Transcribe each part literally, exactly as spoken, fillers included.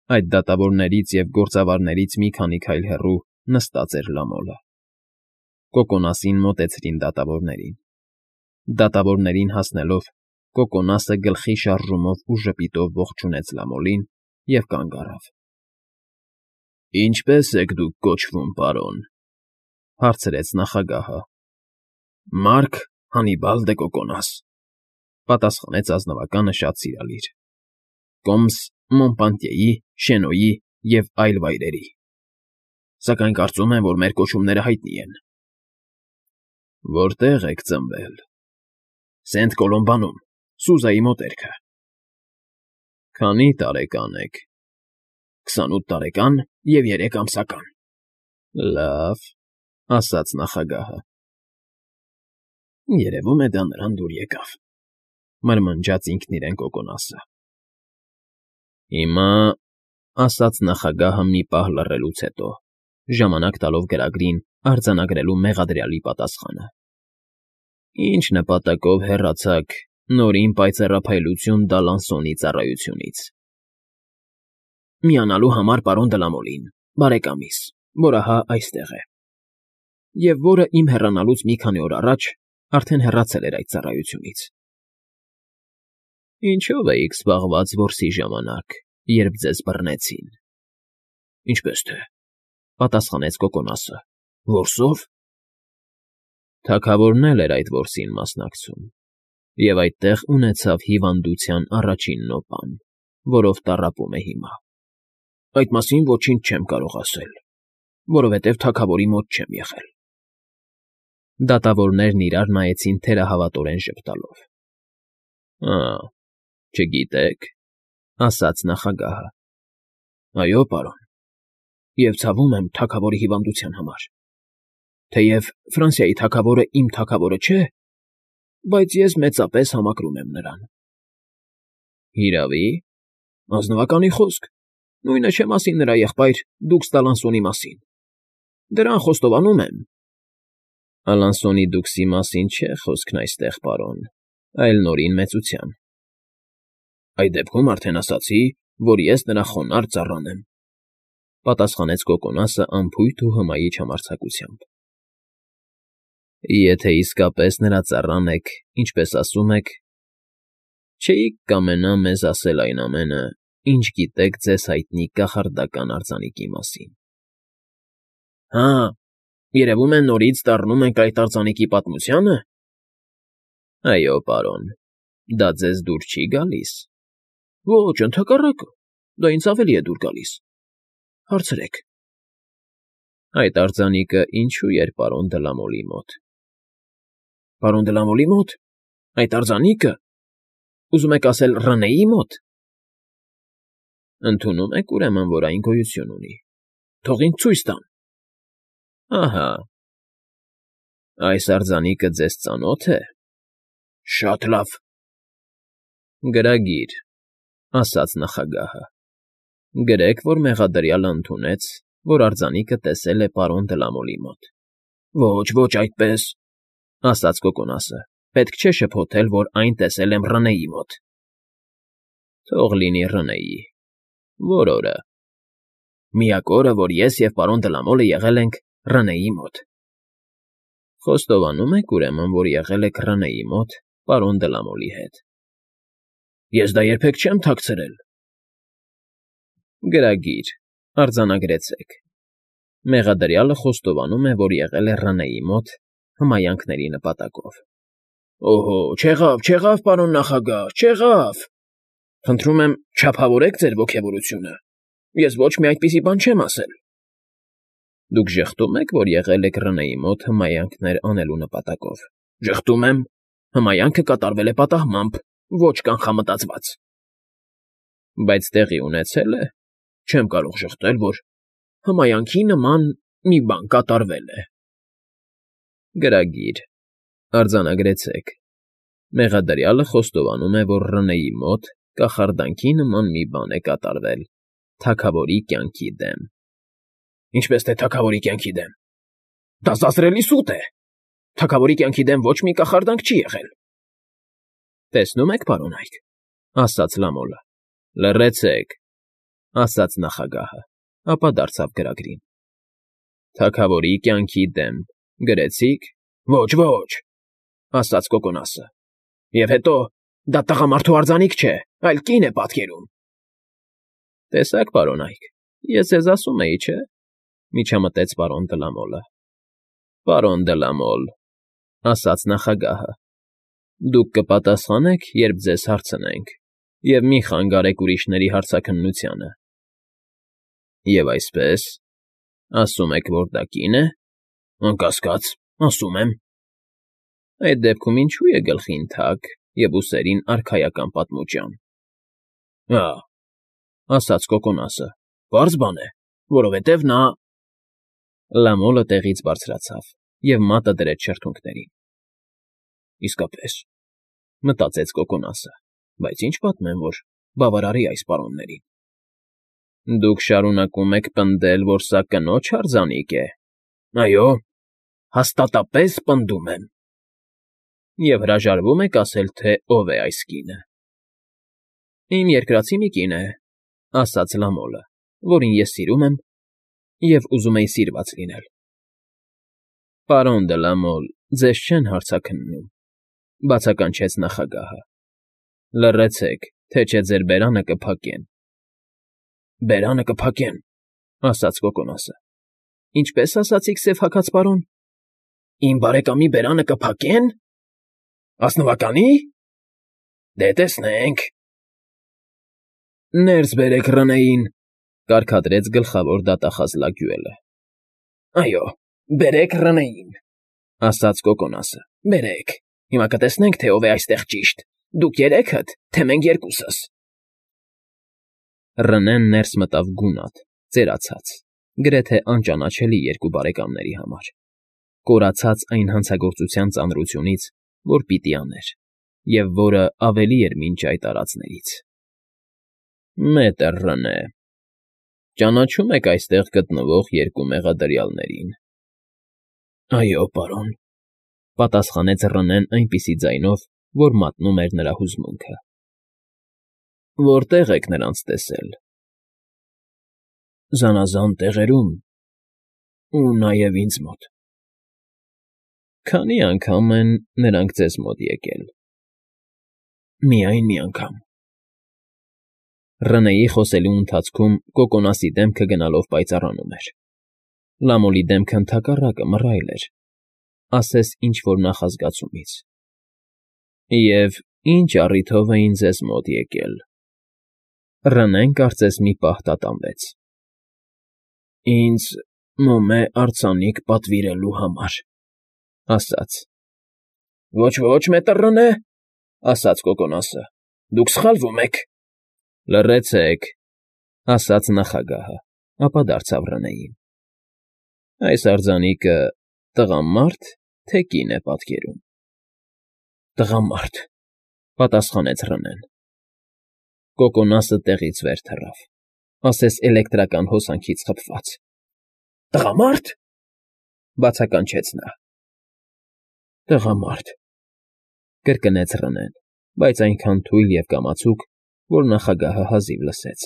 Այդ դատավորներից և գործավարներից մի քանի քայլ հեռու նստած էր Լամոլը։ Կոկոնասին մոտեցրին դատավորներին։ Դատավորներին հասնելով, Կոկոնասը գլխի շարժումով ու ժպիտով ողջունեց Լամոլին և կանգ առավ։ ֊ Ինչպե՞ս եք դուք կոչվում, պարոն,֊ հարցրեց նախագահը։ ֊ Մարկ Հանիբալ դը Կոկոնաս,֊ պատասխանեց ազնվականը շատ սիրալիր,֊ Կոմս Մոնպանտյեի, Շենոյի և այլ վայրերի, սակայն կարծում եմ, որ մեր կոչումները հայտնի են։ ֊ Որտե՞ղ եք ծնվել։ ֊ Սենտ Կոլոմբանում, Սուզայի մոտերքը։ ֊ Քանի՞ տարեկան եք։ ֊ Քսանութ տարեկան և երեք ամսական։ ֊ Լավ,֊ ասաց նախագահը։ ֊ Երևում է դա նրան դուր եկավ,֊ մրմնջաց ինքն իրեն Կոկոնասը։ ֊ Հիմա,֊ ասաց նախագահը մի պահ լռելուց հետո, ժամանակ տալով գրագրին արձանագրելու մեղադրյալի պատասխանը,֊ ինչ նպատակով հեռացաք Նորին պայծառափայլություն Դալանսոնի ծառայությունից։ ֊ Միանալու համար պարոն Դլամոլին, բարեկամիս, որ ահա այստեղ է, և որը իմ հեռանալուց մի քանի օր առաջ արդեն հեռացել էր այդ ծառայությունից։ ֊ Ինչո՞վ էիք զբաղված որսի ժամանակ, երբ ձեզ բռնեցին։ ֊ Ինչպես թե,֊ պատասխանեց Կոկոնասը,֊ որսով։ ֊ Թագավորն էլ էր այդ որսին մասնակցում և այդտեղ ունեցավ հիվանդության առաջին նոպան, որով տառապում է հիմա։ ֊ Այդ մասին ոչինչ չեմ կարող ասել, որովհետև թագավորի մոտ չեմ եղել։ Դատավորներն իրար նայեցին թերահավատորեն ժպտալով։ ֊ Ա՜, չգիտե՞ք,֊ ասաց նախագահը։ ֊ Այո, պարոն, և ցավում եմ թագավորի հիվանդության համար, թեև Ֆրանսիայի թագավորը իմ թագավորը չէ, բայց ես մեծապես համակրում եմ նրան։ ֊ Հիրավի՞։ ֊ Ազնվականի խոսք, նույնը չեմ ասի նրա եղբայր դուքս Դալանսոնի մասին, դրան խոստովանում եմ։ ֊ Ալանսոնի դուքսի մասին չէ խոսքն այստեղ, պարոն, այլ Նորին մեծության։ ֊ Այդ դեպքում արդեն ասացի, որ ես նրա խոնարհ ծառան եմ,֊ պատասխանեց Կոկոնասը անփույթ ու հմայիչ համարձակությամբ։ ֊ Եթե իսկապես նրա ծառան եք, ինչպես ասում եք, չէի՞ք կամենա մեզ ասել այն ամենը, ինչ գիտեք ձեզ հայտնի կախարդական արձանիկի մասին։ ֊ Հա, երևում է նորից դառնում ենք այդ արձանիկի պատմությա՞նը։ ֊ Այո, պարոն, դա ձեզ դուր չի՞ գալիս։ ֊ Ոչ, ընդհակառակը, դա ինձ ավելի է դուր գալիս, հարցրեք։ ֊ Այդ արձանիկը ինչո՞ւ էր պարոն Դլամոլի մոտ։ ֊ Պարոն Դլամոլի մոտ… Այդ արձանիկը… Ուզում եք ասել Ռնեի մոտ։ ֊ Ընդունում եք, ուրեմն, որ այն գոյություն ունի։ ֊ Թող ինձ ցույց տան։ ֊ Ահա… Այս արձանիկը ձեզ ծանո՞թ է։ ֊ Շատ լավ։ ֊ Գրագիր,֊ ասաց նախագահը,֊ գրեք, որ մեղադրյալը ընդունեց, որ արձանիկը տեսել է պարոն Դլամոլի մոտ։ ֊ Ոչ, ոչ այդպես,֊ ասաց Կոկոնասը,֊ պետք չէ շփոթել, որ այն տեսել եմ Ռնեի մոտ։ ֊ Թող լինի Ռնեի… Ո՞ր օրը։ ֊ Միակ օրը, որ ես և պարոն Դլամոլը եղել ենք Ռնեի մոտ։ ֊ Խոստովանում եք, ուրեմն, որ եղել եք Ռնեի մոտ պարոն Դլամոլի հետ։ ֊ Ես դա երբեք չեմ թաքցրել։ ֊ Գրագիր, արձանագրեցեք. Մեղադրյալը խոստովանում է, որ եղել է Ռնեի մոտ հմայանքների նպատակով։ ֊ Օհո, չեղավ, չեղավ, պարոն նախագահ, չեղավ… Խնդրում եմ, չափավորեք ձեր ոգևորությունը, ես ոչ մի այդպիսի բան չեմ ասել։ ֊ Դուք ժխտո՞ւմ եք, որ եղել եք Ռնեի մոտ հմայանքներ անելու նպատակով։ ֊ Ժխտում եմ… Հմայանքը կատարվել է պատահմամբ, ոչ կանխամտածված։ ֊ Բայց տեղի ունեցե՞լ է։ Չեմ կարող ժխտել, որ հմայանքի նման մի բան կատարվել է։ ֊ Գրագիր, արձանագրեցեք. Մեղադրյալը խոստովանում է, որ Ռնեի մոտ կախարդանքի նման մի բան է կատարվել թագավորի կյանքի դեմ։ ֊ Ինչպես թե թագավորի կյանքի դեմ… Դա զազրելի սուտ է… Թագավորի կյանքի դեմ ոչ մի կախարդանք չի եղել։ ֊ Տեսնում եք, պարոն Այք,֊ ասաց Լամոլը,֊ լռեցեք։ ասաց նախագահը, ապա դարձավ գրագրին։ Թագավորի կյանքի դեմ գրեցի՞ք։ Ոչ, ոչ, ասաց Կոկոնասը։ Եվ հետո դա տղամարդու արձանիկ չէ, այլ կին է պատկերում։ Տեսեք, պարոն Այք, ես ձեզ ասում էի, չէ՞, միջամտեց պարոն Դլամոլը։ Պարոն Դլամոլ, ասաց նախագահը, դուք կպատասխանեք, երբ ձեզ հարցնենք, և մի խանգարեք ուրիշների հարցաքննությանը։ Եվ այսպես, ասում եք, որ դա կին է։ Անկասկած, ասում եմ։ Այդ դեպքում ինչու է գլխին թակ և ուսերին արքայական պատմուճան։ Ա, ասաց Կոկոնասը, պարզ բան է, որովհետև նա… Լամոլը տեղից բարձրացավ և մատը դրեց շրթունքներին։ Իսկապես, մտածեց Կոկոնասը, բայց ինչ պատմեմ, որ բավարարի այս պարոններին։ Դուք շարունակում եք պնդել, որ սա կնոջ արձանիկ է։ Այո, հաստատապես պնդում եմ։ Եվ հրաժարվում եք ասել, թե ով է այս կինը։ Իմ երկրացի մի կին է, ասաց Լամոլը, որին ես սիրում եմ և ուզում էի սիրված լինել։ Պարոն Դլամոլ, ձեզ չեն հարցաքննում, բացականչեց նախագահը։ Լռեցեք, թե չէ ձեր բերանը կփակեմ։ Բերանը կփակեմ, ասաց Կոկոնասը։ Ինչպես ասացիք, սև հագած պարոն։ Իմ բարեկամի բերանը կփակե՞ն։ Ազնվականի՞։ Դե տեսնենք։ Ներս բերեք Ռնեին, կարգադրեց գլխավոր դատախազ Լագյուելը։ Այո, բերեք Ռնեին, ասաց Կոկոնասը, բերեք, հիմա կտեսնենք, թե ով է այստեղ ճիշտ, դուք երեքդ, թե մենք երկուսս։ Ռնեն ներս մտավ գունատ, ծերացած, գրեթե անճանաչելի երկու բարեկամների համար, կորացած այն հանցագործության ծանրությունից, որ պիտի աներ, և որը ավելի էր մինչ այդ արածներից։ Մետր Ռնե, ճանաչո՞ւմ եք այստեղ գտնվող երկու մեղադրյալներին։ Այո, պարոն, պատասխանեց Ռնեն այնպիսի ձայնով, որ մատնում էր նրա հուզմունքը։ Որտե՞ղ եք նրանց տեսել։ Զանազան տեղերում ու նաև ինձ մոտ։ Քանի՞ անգամ են նրանք ձեզ մոտ եկել։ Միայն մի անգամ։ Ռնեի խոսելու ընթացքում Կոկոնասի դեմքը գնալով պայծառանում էր։ Լամոլի դեմքը ընդհակառակը մռայլ էր, ասես ինչ֊որ նախազգացումից։ Եվ ինչ առիթով էին ձեզ մոտ եկել։ Ռնեն կարծես մի պահ տատանվեց։ Ինձ մոմե արձանիկ պատվիրելու համար, ասաց։ Ոչ, ոչ, մետր Ռնե, ասաց Կոկոնասը, դուք սխալվում եք։ Լռեցեք, ասաց նախագահը, ապա դարձավ Ռնեին։ Այս արձանիկը տղամա՞րդ, թե կին է պատկերում։ Տղամարդ, պատասխանեց Ռնեն։ Կոկոնասը տեղից վեր թռավ, ասես էլեկտրական հոսանքից խփված։ Տղամա՞րդ, բացականչեց նա։ Տղամարդ, կրկնեց Ռնեն, բայց այնքան թույլ և կամացուկ, որ նախագահը հազիվ լսեց։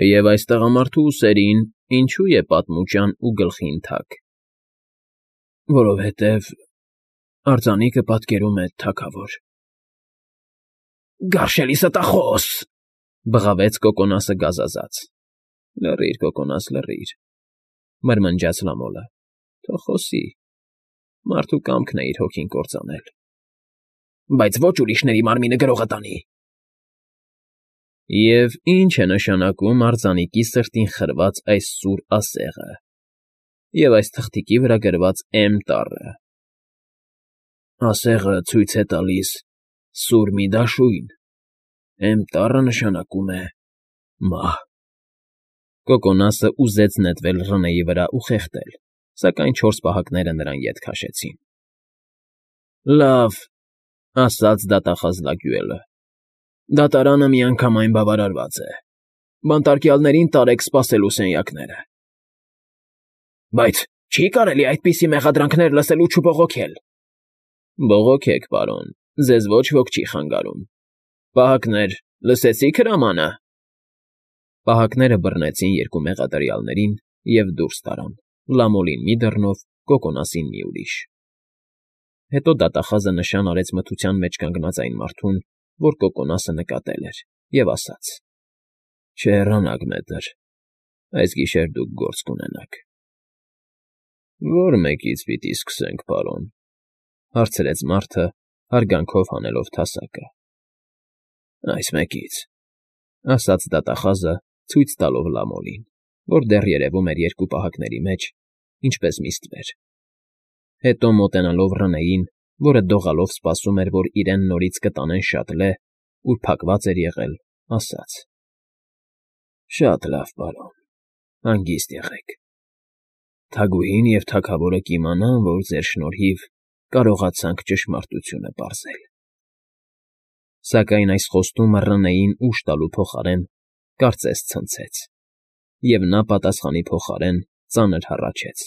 Եվ այս տղամարդու ուսերին ինչու է պատմուճան ու գլխին թակ։ Որովհետև արձանիկը պատկերում է թագավոր։ Գարշելի ստախոս, բղավեց Կոկոնասը գազազած։ Լռիր, Կոկոնաս, լռիր, մրմնջաց Լամոլը, թող խոսի, մարդու կամքն է իր հոգին կործանել։ Բայց ոչ ուրիշների մարմինը գրողը տանի։ Եվ ինչ է նշանակում արձանիկի սրտին խրված այս սուր ասեղը և այս թղթիկի վրա գրված Էմ տառը։ Ասեղը ցույց է տալիս սուր մի դաշույն, Էմ տառը նշանակում է մահ։ Կոկոնասը ուզեց նետվել Ռնեի վրա ու խեղդել, սակայն չորս պահակները նրան ետ քաշեցին։ Լավ, ասաց դատախազ Լագյուելը, դատարանը միանգամայն բավարարված է։ Բանտարկյալներին տարեք սպասելու սենյակները։ Բայց չի՞ կարելի այդպիսի մեղադրանքներ լսել ու չբողոքել։ Բողոքեք, պարոն, ձեզ ոչ ոք չի խանգարում։ Պահակներ, լսեցի՞ք հրամանը։ Պահակները բռնեցին երկու մեղադրյալներին և դուրս տարան, Լամոլին մի դռնով, Կոկոնասին մի ուրիշ։ Հետո դատախազը նշան արեց մթության մեջ կանգնած այն մարդուն, որ Կոկոնասը նկատել էր, և ասաց. Չհեռանաք, մэтր, այս գիշեր դուք գործ կունենաք։ ֊ Ո՞ր մեկից պիտի սկսենք, պարոն,֊ հարցրեց մարդը, հարգանքով հանելով թասակը։ ֊ Այս մեկից,֊ ասաց դատախազը, ցույց տալով Լամոլին, որ դեռ երևում էր երկու պահակների մեջ, ինչպես միստվեր։ Հետո մոտենալով Ռնեին, որը դողալով սպասում էր, որ իրեն նորից կտանեն շատլե, ուր փակված էր եղել, ասաց. ֊ Շատ լավ, պարոն, հանգիստ եղեք։ Թագուհին և թագավորը կիմանան, որ ձեր շնորհիվ կարողացանք ճշմարտությունը պարզել… Սակայն այս խոստումը Ռնեին ուժ տալու փոխարեն կարծես ցնցեց, և նա պատասխանի փոխարեն ծանր հառաչեց.